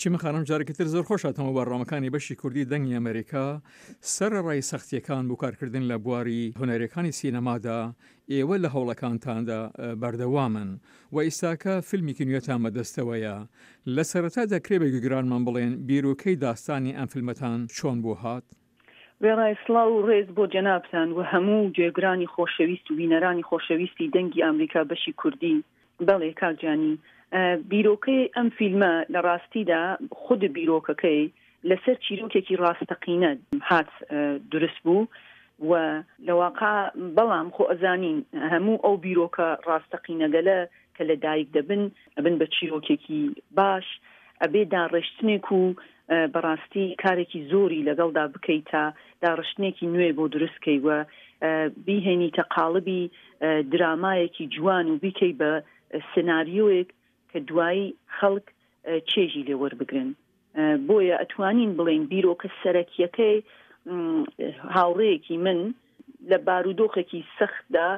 چیمەن خانم جارێکی تر زۆر خۆش هاتمەوە بەرنامەکانی بەشی کوردی دەنگی ئەمەریکا. سەرەڕای سەختییەکان بۆ کارکردن لە بواری هونەریەکانی سینەمادا، ئێوە لە هەوڵەکانتاندا بەردەوامن و ئیستاکە فیلمێکی نوێتان بەدەستەوەیە. لە سەرەتا دەکرێ بە گوێگرانمان بڵێن بیرۆکەی داستانی ئەم فیلمەتان چۆن بۆ هات؟ وێڕای سڵاو و ڕێز بۆ جەنابتان و هەموو گوێگرانی خۆشەویست و بینەرانی خۆشەویستی دەنگی ئامریکا بەشی کوردی، بەڵێ کاک جانی بیرۆکەی ئەم فیلمە لە ڕاستیدا خود بیرۆکەکەی لەسەر چیرۆکێکی ڕاستەقینە هات دروست بوو و لە واقع بەڵام خۆ ئەزانین هەموو ئەو بیرۆکە ڕاستەقینەگەلە کە لە دایک دەبن ئەبن بە چیرۆکێکی باش ئەبێ داڕێشتنێک و بەڕاستی کارێکی زۆری لەگەڵدا بکەی تا داڕشتنێکی نوێ بۆ دروست کەی و بیهێنیتە قاڵبی درامایەکی جوان و بیکەی بە سناریۆیەک کە دوایی خەڵک چێژی لێ وەربگرن. بۆیە ئەتوانین بڵێین بیرۆکە سەرەکیەکەی هاوڕێیەکی من لە بارودۆخێکی سەختدا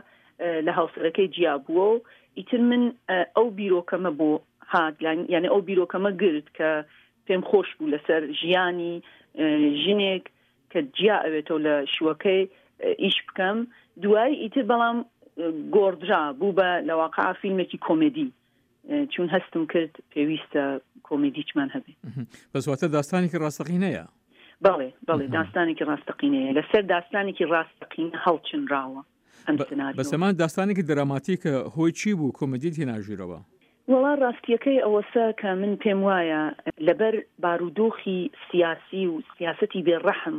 لە هاوسەرەکەی جیا بووە و ئیتر من ئەو بیرۆکەمە بۆ هات یعنی ئەو بیرۆکەمە گرت کە پێم خۆش بوو لەسەر ژیانی ژنێک کە جیا ئەوێتەوە لە شوەکەی ئیش بکەم دوایی ئیتر بەڵام گۆڕدرا بوو بە لەواقع فیلمێکی کۆمێدی چون هەستم کرد پێویستە کۆمیدیچمان هەبێ. بەس واتە داستانێکی ڕاستەقینەیە؟ بەڵێ بەڵێ داستانێکی ڕاستەقینەیە لەسەر داستانێکی ڕاستەقینە هەڵچنراوە ئەم سناریۆ. بەس ئەمە داستانێکی دراماتیکە هۆی چی بوو کۆمیدیت هێنا ژوورەوە؟ وەڵا ڕاستیەکەی ئەوەسە کە من پێم وایە لەبەر بارودۆخی سیاسی و سیاسەتی بێ ڕەحم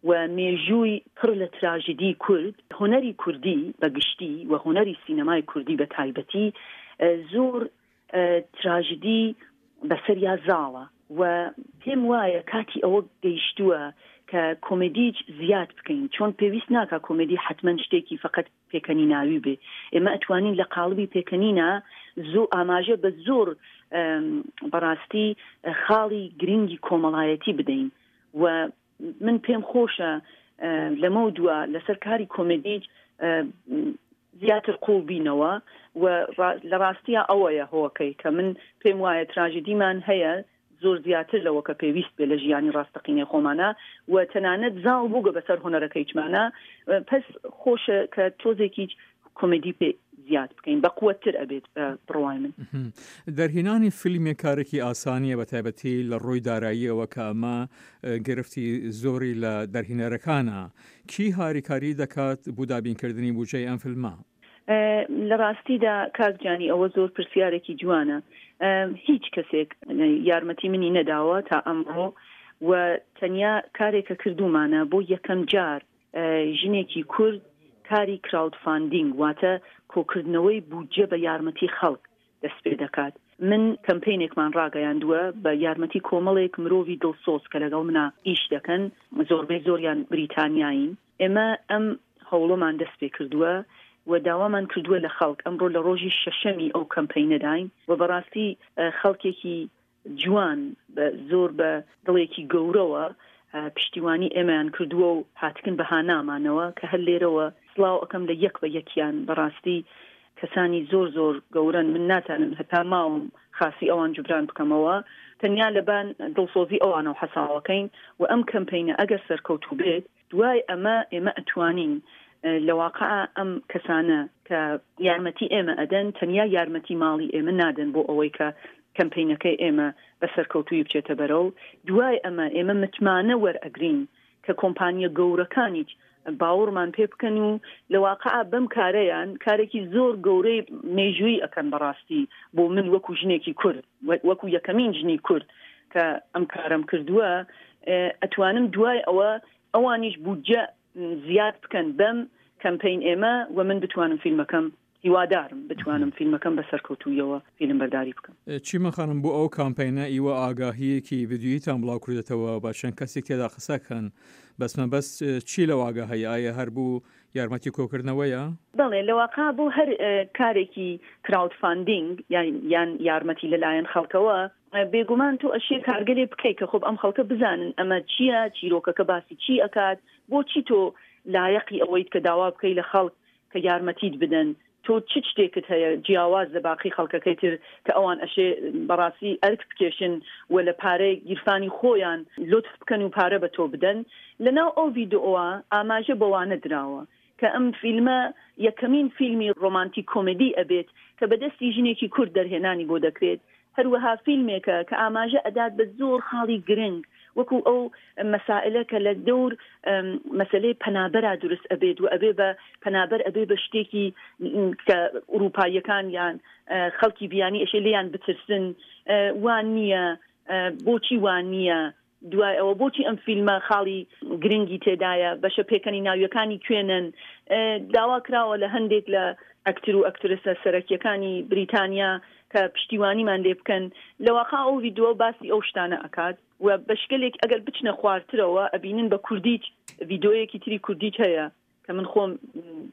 و مێژووی پڕ لە تراژیدی کورد، هونەری کوردی بە گشتی و هونەری سینەمای کوردی بە تایبەتی زۆر تراژیدی بەسەریا زاڵە و پێم وایە کاتی ئەوە گەیشتووە کە کۆمێدیچ زیاد بکەین چۆن پێویست ناکا کۆمێدی حەتمەن شتێکی فەقەت پێکەنیناوی بێ ئێمە ئەتوانین لە قاڵبی پێکەنینا زۆ ئاماژە بە زۆر بەڕاستی خاڵی گرنگی کۆمەڵایەتی بدەین و من پێم خۆشە لەمەو دوا لەسەر کاری کۆمێدی زیاتر قوڵ بینەوە و لە ڕاستیە ئەوەیە هۆکەی کە من پێم وایە تراژیدیمان هەیە زۆر زیاتر لەوە کە پێویست بێ لە ژیانی ڕاستەقینەی خۆمانە و تەنانەت زاڵ بووگە بەسەر هونەرەکەیچمانە پس خۆشە کە تۆزێکیچ کۆمێدی پێ زیاد بکەین بە قوتتر ئەبێت بە بڕوای من. دەرهێنانی فیلمێک کارێکی ئاسان نییە بە تایبەتی لە ڕووی داراییەوە کە ئەمە گرفتی زۆری لە دەرهینەرەکانە. کی هاریکاری دەکات بو دابینکردنی بوجەی ئەم فیلمە؟ لە ڕاستیدا کاک جانی ئەوە زۆر پرسیارێکی جوانە. هیچ کەسێک یارمەتی منی نەداوە تا ئەمڕۆ و تەنیا کارێک کە کردوومانە بۆ یەکەم جار ژنێکی کورد کاری کراودفاندینگ واتە کۆکردنەوەی بودجە بە یارمەتی خەڵک دەست پێ دەکات. من کەمپەینێکمان ڕاگەیاندووە بە یارمەتی کۆمەڵێک مرۆڤی دڵسۆز کە لەگەڵ منا ئیش دەکەن، زۆربەی زۆریان بریتانیایین. ئێمە ئەم هەوڵەمان دەست پێ کردووە و داوامان کردووە لە خەڵک، ئەمڕۆ لە ڕۆژی شەشەمی ئەو کەمپەینەداین و بەڕاستی خەڵکێکی جوان بە زۆر بە دڵێکی گەورەوە پشتیوانی ئێمەیان کردووە و هاتکن بە هانامانەوە کە هەر لێرەوە سڵاو ئەکەم لە یەک بە یەکیان بەڕاستی کەسانی زۆر زۆر گەورەن من ناتانم هەتا ماوم خاسی ئەوان جوبران بکەمەوە تەنیا لەبان دڵسۆزی ئەوانەوە حەساوەکەین و ئەم کەمپینە ئەگەر سەرکەوتوو بێت دوای ئەمە ئێمە ئەتوانین لە واقع ئەم کەسانە کە یارمەتی ئێمە ئەدەن تەنیا یارمەتی ماڵی ئێمە نادەن بۆ ئەوەی کە کەمپینەکەی ئێمە بە سەرکەوتووی بچێتە بەرەو دوای ئەمە ئێمە متمانە وەرئەگرین کە کۆمپانیە گەورەکانیش باوەڕمان پێ بکەن و لە واقع بەم کارەیان کارێکی زۆر گەورەی مێژووی ئەکەن بەڕاستی بۆ من وەکو ژنێکی کورد وەکو یەکەمین ژنی کورد کە ئەم کارەم کردووە ئەتوانم دوای ئەوە ئەوانیش بودجە زیاد بکەن بەم کەمپین ئێمە و من بتوانم فیلمەکەم هیوادارم بتوانم فیلمەکەم بە سەرکەوتوویەوە فیلم بەرداری بکەم. چیمەن خانم بۆ ئەو کامپەینە ئیوە ئاگاهییەکی ڤیدیۆییتان بڵاو کردۆتەوە با چەند کەسێک تێدا قسە کەن بەس مەبەست چی لەو ئاگاهیە ئایا هەر بوو یارمەتی کۆکردنەوەیە؟ بەڵێ لەواقع بۆ هەر کارێکی کراود فاندینگ یان یارمەتی لەلایەن خەڵکەوە بێگومان تۆ ئەشێ کارگەلێ بکەی کە خۆب ئەم خەڵکە بزانن ئەمە چییە چیرۆکەکە باسی چی ئەکات بۆچی تۆ لایەقی ئەوەیت کە داوا بکەی لە خەڵک کە یارمەتیت بدەن. تۆ چ شتێکت هەیە جیاواز لە باقی خەڵکەکەی تر کە ئەوان ئەشێ بەڕاستی ئەرک بکێشن و لە پارەی گیرفانی خۆیان لوتف بکەن و پارە بە تۆ بدەن؟ لەناو ئەو ڤیدئۆوە ئاماژە بەوانە دراوە کە ئەم فیلمە یەکەمین فیلمی ڕۆمانتیک کۆمێدی ئەبێت کە بە دەستی ژنێکی کورد دەرهێنانی بۆ دەکرێت، هەروەها فیلمێکە کە ئاماژە ئەدات بە زۆر خاڵی گرنگ وەکو ئەو مەسائلە کە لە دەور مەسەلەی پەنابەرا دروست ئەبێت و ئەبێ بە پەنابەر ئەبێ بە شتێکی کە ئوروپاییەکان یان خەڵکی بیانی ئەشێ لێیان بترسن وان نییە بۆچی وان نییە دوای ئەوە بۆچی ئەم فیلمە خاڵی گرنگی تێدایە؟ بەشە پێکەنیناویەکانی کوێنن؟ داوا کراوە لە هەندێک لە ئەکتر و ئەکترسە سەرەکیەکانی بریتانیا کە پشتیوانیمان لێ بکەن. لە واقع ئەو ڤیدۆ باسی ئەو شتانە ئەکات و بەشگەلێک ئەگەر بچنە خوارترەوە ئەبینن بە کوردیچ ڤیدۆیەکی تری کوردیچ هەیە کە من خۆم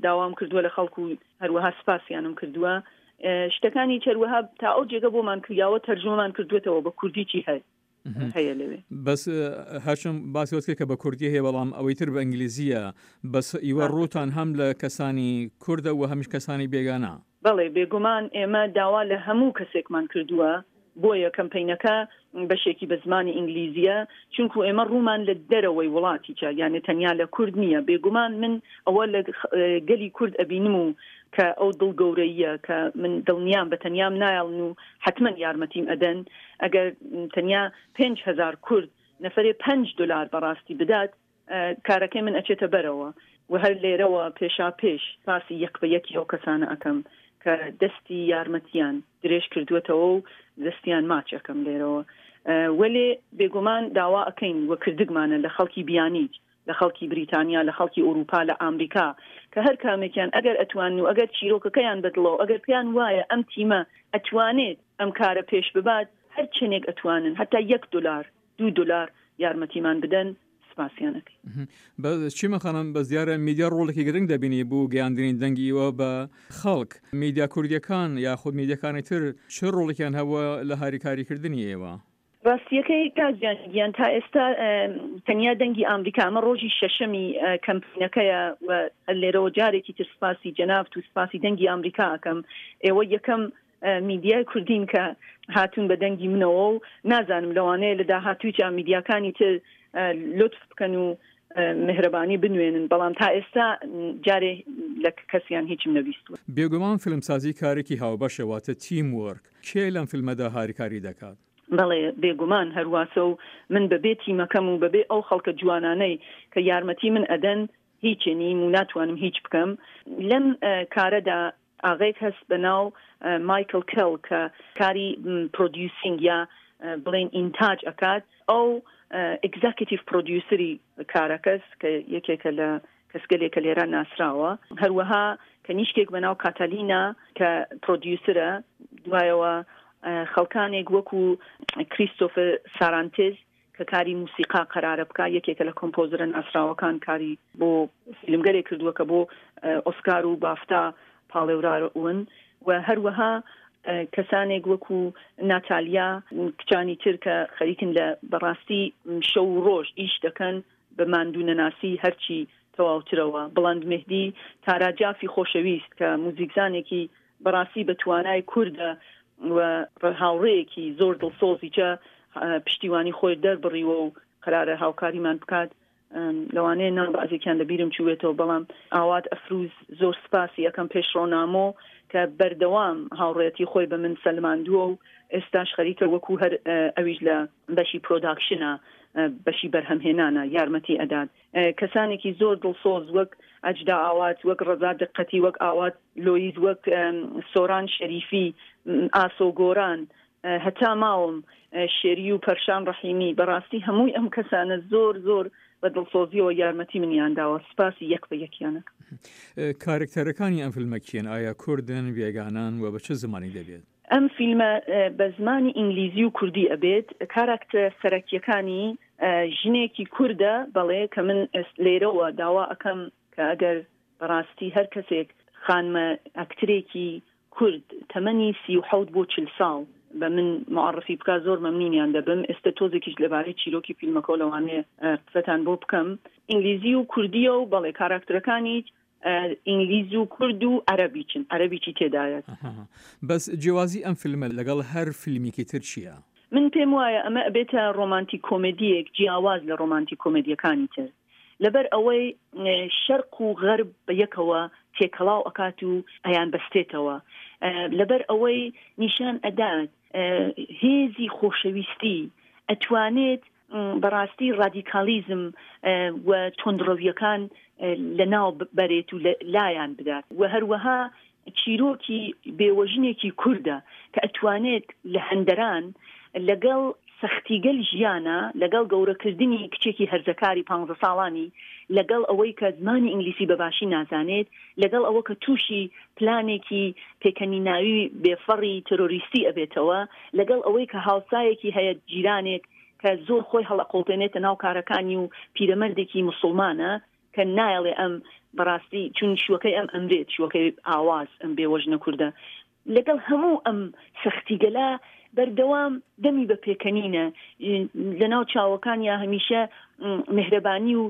داوام کردووە لە خەڵک و هەروەها سپاسیانم کردووە. شتەکانی هەروەها تا ئەو جێگە بۆمان کریاوە تەرجومەمان کردووەتەوە بە کوردی چی هەیە. هەیە لەوێ. بەس هەرچەند باسی وەت کرد کە بە کوردی هەیە بەڵام ئەوەی تر بە ئینگلیزییە بەس ئیوە ڕووتان هەم لە کەسانی کوردە و هەمیش کەسانی بێگانە. بەڵێ بێگومان ئێمە داوا لە هەموو کەسێکمان کردووە بۆیە کەمپەینەکە بەشێکی بە زمانی ئینگلیزییە چونکو ئێمە ڕوومان لە دەرەوەی وڵاتیچە یانێ تەنیا لە کورد نییە بێگومان من ئەوە لە گەلی کورد ئەبینم و کە ئەو دڵ گەورەییە کە من دڵنیام بە تەنیام نایەڵن و حەتمەن یارمەتیم ئەدەن ئەگەر تەنیا 5هزار کورد نەفرێ 5 دلار بەڕاستی بدات کارەکەی من ئەچێتە بەرەوە و هەر لێرەوە پێشا پێش پاسی یەک بە یەکی ئەو کەسانە ئەەکەم کە دەستی یارمەتیان درێژ کردووەتەوە و دەستیان ماچ ئەەکەم لێرەوە وەلێ بێگومان داوا ئەەکەین وە کردگمانە لە خەڵکی بیانیج لە خەڵکی بریتانیا، لە خەڵکی ئورووپا، لە ئامریکا، کە هەر کامێکیان ئەگەر ئەتوانن و ئەگەر چیرۆکەکەیان بە دڵە و ئەگەر پێیان وایە ئەم تیمە ئەتوانێت ئەم کارە پێش ببات، هەر چەنێک ئەتوانن، هەتا یەک دولار، دوو دولار یارمەتیمان بدەن، سپاسیان ئەکەین. بەس چیمەن خانم، بەس دیارە میدیا ڕۆڵێکی گرنگ دەبینی بو گەیاندنی دەنگی ئیوە بە خەڵک. میدیا کوردییەکان یاخود میدیاکانی تر چ ڕۆڵێکیان هەبووە لە هاریکاریکردنی ئێوە؟ ڕاستیەکەی کاک جان گیان تا ئێستا تەنیا دەنگی ئامریکا ئەمە ڕۆژی شەشەمی کەمپینەکەیە و هەر لێرەوە جارێکی تر سپاسی جەنابت و سپاسی دەنگی ئامریکا ئەکەم ئێوە یەکەم میدیای کوردین کە هاتوون بە دەنگی منەوە و نازانم لەوانەیە لە داهاتوویچا میدیاکانی تر لوتف بکەن و میهرەبانی بنوێنن بەڵام تا ئێستا جارێ لە کەسیان هیچم نەبیستووە. بێگومان فیلمسازی کارێکی هاوبەشە واتە تیم وۆرک، کێ لەم فیلمەدا هاریکاری دەکات؟ بەڵێ بێگومان هەرواسە و من بەبێ تیمەکەم و بەبێ ئەو خەڵکە جوانانەی کە یارمەتی من ئەدەن هیچ نیم و ناتوانم هیچ بکەم لەم کارەدا ئاغەیەک هەست بە ناو مایکل کێڵ کە کاری پرۆدیوسینگ یا بڵێن ئینتاج ئەکات ئەو ئێگزەکتیڤ پرۆدیوسری کارەکەس کە یەکێکە لە کەسگەلێک کە لێرە ناسراوە هەروەها کەنیشکێک بە ناو کاتالینا کە پرۆدیوسرە دوایەوە خەڵکانێک وەکو کریستۆفر سارانتز کە کاری موسیقا قەرارە بکا یەکێکە لە کۆمپۆزرە ناسراوەکان کاری بۆ فیلمگەلێک کردووە کە بۆ ئۆسکار و بافتا پاڵێوراون و هەروەها کەسانێک وەکو ناتالیا کچانی تر کە خەریکن لە بەڕاستی شەو و ڕۆژ ئیش دەکەن بە ماندوو نەناسی هەرچی تەواوترەوە بڵند مهدی تارا جافی خۆشەویست کە موزیکزانێکی بەڕاستی بە توانای کوردە و هاوڕێیەکی زۆر دڵسۆزیچە پشتیوانی خۆی دەربڕیوە و قەرارە هاوکاریمان بکات لەوانەیە ناو بەعزێکیان لە بیرم چووێتەوە بەڵام ئاوات ئەفروز زۆر سپاسی ئەکەم پێشڕۆ نامۆ کە بەردەوام هاوڕێتی خۆی بە من سەلماندووە و ئێستاش خەریکە وەکو هەر ئەویش لە بەشی پرۆداکشنە بەشی بەرهەمهێنانە یارمەتی ئەدات کەسانێکی زۆر دڵسۆز وەک ئەجدا ئاوات وەک ڕەزا دقەتی وەک ئاوات لۆیز وەک سۆران شەریفی ئاسۆ گۆران هەتا ماوم شێری و پەرشان ڕەحیمی بەڕاستی هەمووی ئەم کەسانە زۆر زۆر بە دڵسۆزیەوە یارمەتی منیان داوە سپاسی یەک بە یەکیانەکەم. کارەکتەرەکانی ئەم فیلمە کێن؟ ئایا کوردن، بێگانەن و بە چ زمانی دەبێت؟ ئەم فیلمە بە زمانی ئینگلیزی و کوردی ئەبێت، کاراکتەرە سەرەکیەکانی ژنێکی کوردە بەڵێ کە من لێرەوە داوا ئەکەم کە ئەگەر بەڕاستی هەر کەسێک خانمە ئەکترێکی کورد تەمەنی 37 بۆ 40 ساڵ بە من معرفی بکا زۆر مەمنونیان دەبم ئێستا تۆزێکیش لەبارەی چیرۆکی فیلمەکەەوە لەوانەیە قسەتان بۆ بکەم ئینگلیزی و کوردیە و بەڵێ کاراکتەرەکانی. ئینگلیز و کورد و عەرەبیچن، عەرەبیچی تێدایە. بەس جیوازی ئەم فیلمە لەگەڵ هەر فیلمیکی تر چییە؟ من پێم وایە ئەمە ئەبێتە ڕۆمانتیک کۆمێدییەک جیاواز لە ڕۆمانتیک کۆمێدییەکانی تر لەبەر ئەوەی شەرق و غەرب بە یەکەوە تێکەڵاو ئەکات و ئەیانبەستێتەوە لەبەر ئەوەی نیشان ئەدات هێزی خۆشەویستی ئەتوانێت بەڕاستی ڕادیکالیزم و توندڕەویەکان لەناو بەرێت و لایان بدات و هەروەها چیرۆکی بێوەژنێکی کوردە کە ئەتوانێت لە هەندەران لەگەڵ سەختیگەل ژیانە لەگەڵ گەورەکردنی کچێکی هەرزەکاری پانزە ساڵانی لەگەڵ ئەوەی کە زمانی ئینگلیسی بە باشی نازانێت لەگەڵ ئەوە کە تووشی پلانێکی پێکەنیناوی بێفەڕی تێرۆریستی ئەبێتەوە لەگەڵ ئەوەی کە هاوسایەکی هەیە جیرانێک کە زۆر خۆی هەڵئەقوڵتێنێتە ناو کارەکانی و پیرەمەردێکی موسوڵمانە کە نایەڵێ ئەم بەڕاستی چون شوەکەی ئەم ئەمرێت شوەکەی ئاواز ئەم بێوەژنە کوردە لەگەڵ هەموو ئەم سەختیگەلا بەردەوام دەمی بە پێکەنینە لەناو چاوەکانیا هەمیشە مهرەبانی و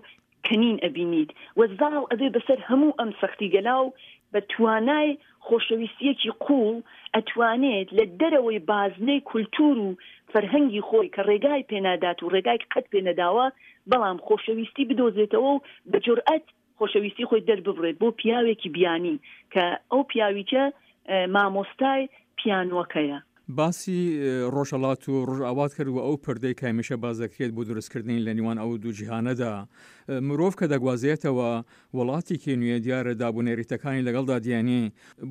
کەنین ئەبینیت و زاڵ ئەبێ بەسەر هەموو ئەم سەختیگەلا و بە توانای خۆشەویستییەکی قووڵ ئەتوانێت لە دەرەوەی بازنەی کولتوور و فەرهەنگی خۆی کە ڕێگای پێنادات و ڕێگای قەت پێنەداوە بەڵام خۆشەویستی بدۆزێتەوە و بە جورئەت خۆشەویستی خۆی دەرببڕێت بۆ پیاوێکی بیانی کە ئەو پیاویچە مامۆستای پیانۆکەیە. باسی ڕۆژهەڵات و ڕۆژئاوات کرد و ئەو پردەی کە هەمیشە باس دەکرێت بۆ دروستکردنی لە نێوان ئەو دوو جیهانەدا، مرۆڤ کە دەگوازێتەوە وڵاتێکی نوێ دیارە داب و نەریتەکانی لەگەڵدا دێنێ،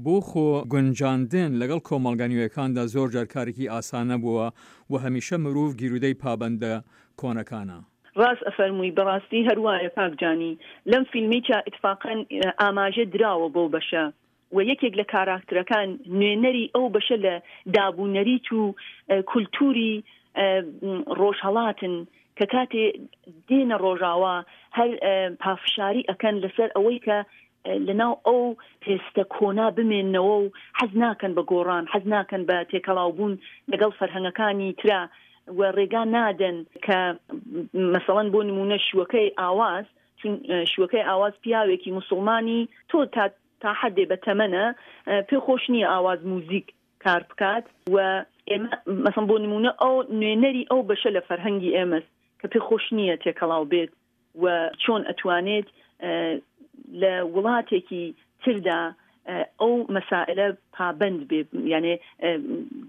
بۆ خۆ گونجاندن لەگەڵ کۆمەڵگا نوێیەکاندا زۆر جار کارێکی ئاسان نەبووە و هەمیشە مروڤ گیرودەی پابەندە کۆنەکانە. ڕاست ئەفەرمووی بەڕاستی هەر وایە کاک جانی لەم فیلمەیچا ئیتفاقەن ئاماژە دراوە بەو بەشە و یەکێک لە کاراکترەکان نوێنەری ئەو بەشە لە داب و نەریت و کولتوری ڕۆژهەڵاتن کە کاتێ دێنە ڕۆژاوا هەر پافشاری ئەکەن لەسەر ئەوەی کە لەناو ئەو پێستە کۆنا بمێنەوە و حەز ناکەن بە گۆڕان حەز ناکەن بە تێکەڵاوبوون لەگەڵ فەرهەنگەکانی ترا و ڕێگا نادەن کە مەسەڵەن بۆ نمونە شوەکەی ئاواز چون شوەکەی ئاواز پیاوێکی موسڵمانی تۆ تا تا حەدێ بە تەمەنە پێ خۆش نییە ئاواز موزیک کار بکات و ئێمە مەسەڵەن بۆ نمونە ئەو نوێنەری ئەو بەشە لە فەرهەنگی ئێمەس کە پێ خۆش نییە تێکەڵاو بێت و چۆن ئەتوانێت لە وڵاتێکی تردا ئەو مەسائلە پابەند بێ یانێ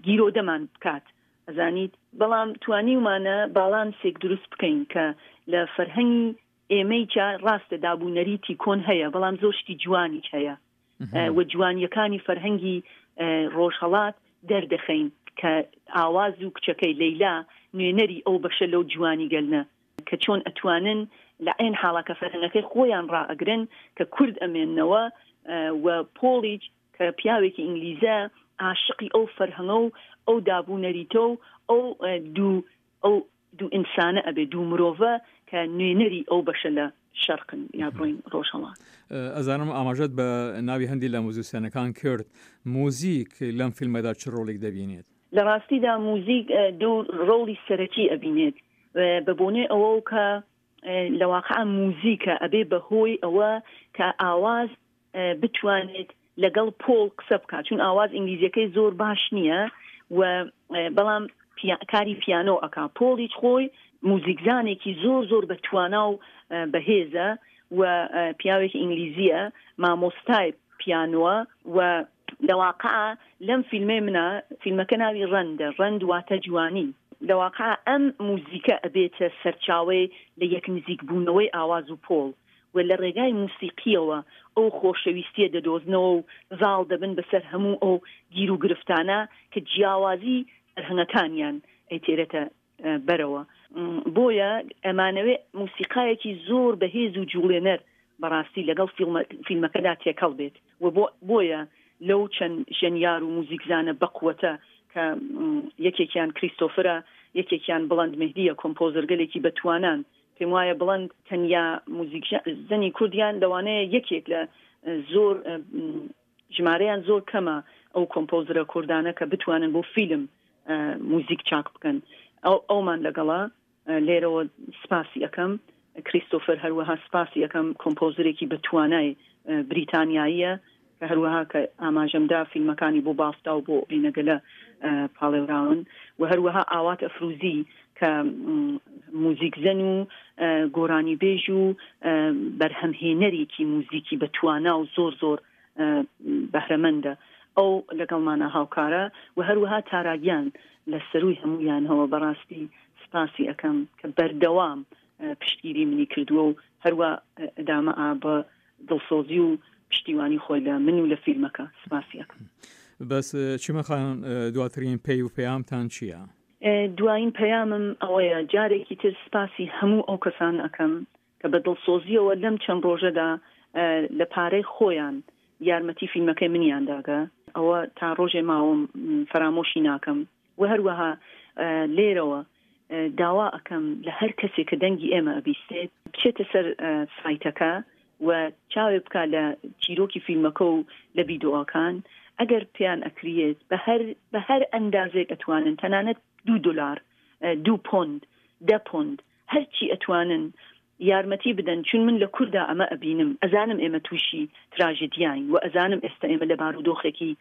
گیرۆدەمان بکات ئەزانیت بەڵام توانیومانە باڵانسێک دروست بکەین کە لە فەرهەنگی ئێمەی چا ڕاستە داب و نەریتی کۆن هەیە بەڵام زۆر شتی جوانیش هەیە و جوانیەکانی فەرهەنگی ڕۆژهەڵات دەردەخەین کە ئاواز و کچەکەی لەیلا نوێنەری ئەو بەشە لەو جوانی گەلنە کە چۆن ئەتوانن لە عێن حاڵا کە فەرهەنگەکەی خۆیان ڕائەگرن کە کورد ئەمێننەوە و پۆڵیچ کە پیاوێکی ئینگلیزە عاشقی ئەو فەرهەنگە و ئەو داب و نەریتە و ئەو دوو ئەو دوو ئینسانە ئەبێ دوو مرۆڤە کە نوێنەری ئەو بەشە لە شەرقن یا بڵێین ڕۆژهەڵات. ئەزانم ئاماژەت بە ناوی هەندی لە موزیسیەنەکان کرد، موزیک لەم فیلمەدا چ ڕۆڵیک دەبینێت؟ لە ڕاستیدا موزیک دوو ڕۆڵی سەرەکی ئەبینێت بە بۆنەی ئەوەو کە لە واقع موزیکە ئەبێ بە هۆی ئەوە کە ئاواز بتوانێت لەگەڵ پۆڵ قسە بکات چون ئاواز ئینگلیزیەکەی زۆر باش نییە و بەڵام کاری پیانۆ ئەک پۆڵیچ خۆی موزیکزانێکی زۆر زۆر بە توانا و بەهێزە و پیاوێکی ئینگلیزیە مامۆستای پیانوە و لەواقع لەم فیلمەی منە فیلمەکە ناوی ڕەندە ڕەند واتە جوانی لەواقع ئەم موزیکە ئەبێتە سەرچاوەی لە یەک نزیک بوونەوەی ئاواز و پۆڵ و لە ڕێگای موسیقییەوە ئەو خۆشەویستییە دەدۆزنەوە و زاڵ دەبن بەسەر هەموو ئەو گیروگرفتانە کە جیاوازی فەرهەنگەکانیان ئەیتێرێتە بەرەوە. بۆیە ئەمانەوێ موسیقایەکی زۆر بەهێز و جوڵێنەر بەڕاستی لەگەڵ فیلمەکەدا تێکەڵ بێت و بۆیە لەو چەند ژەنیار و موزیکزانە بەقوەتە کە یەکێکیان کریستۆفرە، یەکێکیان بڵند مهدییە، کۆمپۆزەرگەلێکی بەتوانان پێم وایە بڵند تەنیا موزیکژەنی کوردیان لەوانەیە یەکێک لە زۆر ژمارەیان زۆر کەمە ئەو کۆمپۆزرە کوردانە کە بتوانن بۆ فیلم موزیک چاک بکەن ئەو ئەومان لەگەڵە لێرەوە سپاسی ئەەکەم. کریستۆفەر هەروەها سپاسی ئەکەم کۆمپۆزەرێکی بە توانای بریتانیاییە کە هەروەها کە ئاماژەم دا فیلمەکانی بۆ بافتا و بۆ ئەینەگەلە پاڵێوراون و هەروەها ئاوات ئەفروزی کە موزیکزەن و گۆرانیبێژ و بەرهەمهێنەرێکی موزیکی بە توانا و زۆر زۆر بەهرەمەندە ئەو لەگەڵمانە هاوکارە و هەروەها تاراگیان لە سەرووی هەموویانەوە بەڕاستی سپاسی ئەەکەم کە بەردەوام پشتگیری منی کردووە و هەروە ئەدامە ئا بە دڵسۆزی و پشتیوانی خۆی لە من و لە فیلمەکە سپاسی ئەکەم. بەس چیمە خان دواترین پەی و پەیامتان چییە؟ دوایین پەیامم ئەوەیە جارێکی تر سپاسی هەموو ئەو کەسانە ئەکەم کە بە دڵسۆزییەوە لەم چەند ڕۆژەدا لە پارەی خۆیان یارمەتی فیلمەکەی منیان داگە، ئەوە تا ڕۆژێ ماوم فەرامۆشی ناکەم و هەروەها لێرەوە داوا ئەکەم لە هەر کەسێک کە دەنگی ئێمە ئەبیستێت بچێتە سەر سایتەکە و چاوێ بکا لە چیرۆکی فیلمەکە و لە ڤیدۆەکان ئەگەر پێیان ئەکریێت بە هەر بە هەر ئەندازێک ئەتوانن تەنانەت دوو دلار دوو پۆند دە پۆند هەرچی ئەتوانن یارمەتی بدەن چون من لە کوردا ئەمە ئەبینم ئەزانم ئێمە تووشی تراژدیاین و ئەزانم ئێستا ئێمە لە بارودۆخێکی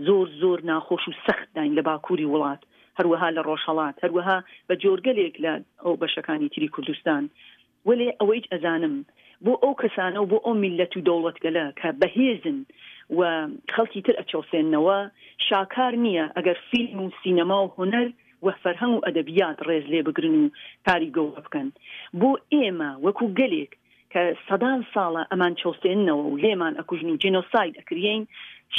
زۆر زۆر ناخۆش و سەختداین لە باکووری وڵات هەروەها لە ڕۆژهەڵات هەروەها بە جۆرگەلێک لە ئەو بەشەکانی تری کوردستان وەلێ ئەوەیچ ئەزانم بۆ ئەو کەسانە و بۆ ئەو میللەت و دەوڵەتگەلە کە بەهێزن و خەڵکی تر ئەچەوسێننەوە شاکار نییە ئەگەر فیلم و سینەما و هونەر و فەرهەنگ و ئەدەبیات ڕێز لێ بگرن و کاری گەورە بکەن. بۆ ئێمە وەکو گەلێک کە سەدان ساڵە ئەمان چەوسێننەوە و لێمان ئەکوژن و جینۆساید ئەکریەین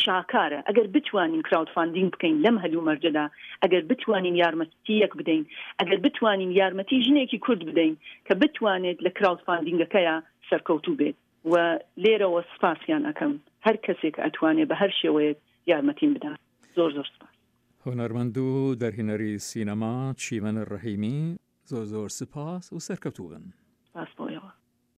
شاکارە ئەگەر بتوانین crowdfunding بکەین لەم هەلومەرجەدا ئەگەر بتوانین یارمەتییەک بدەین ئەگەر بتوانین یارمەتی ژنێکی کورد بدەین کە بتوانێت لە crowdfunding ەکەیا سەرکەوتوو بێت و لێرەوە سپاسیان ئەکەم هەر کەسێک ئەتوانێ بە هەر شێوەیەک یارمەتیم بدات زۆر زۆر سپاس. هونەرمەند و دەرهێنەری سینەما چیمەن ڕەحیمی زۆر زۆر سپاس و سەرکەوتوو بن. سپاس بۆ ئێوە.